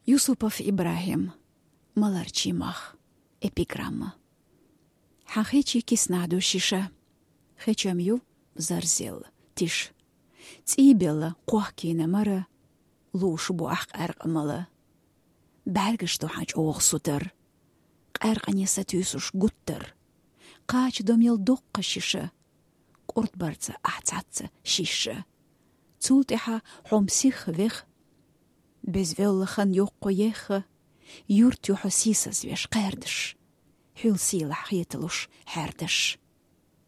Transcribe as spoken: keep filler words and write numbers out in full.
Юсупов Ибрагьим. Маларчий мах. Эпиграмма. Хьан хечи киснадо шиша. Хечам ю зарзел тиш. ЦӀийбелла къохкина мара луш бу ахкъаркъмала. БӀаргаш ду хьан чӀоагӀа сутар. Къаркъане сатуьйсуш гуттар. Кхача домел доккха шиша. Къурд барца ахь цхьацца шиша. Цул тӀехьа хьом сих вех. Безвелла хан йоккхо ехха. Юрт юхьо сийсазвеш кхаьрдаш. Хьуьл сийлахь хеталуш хьаьрдаш.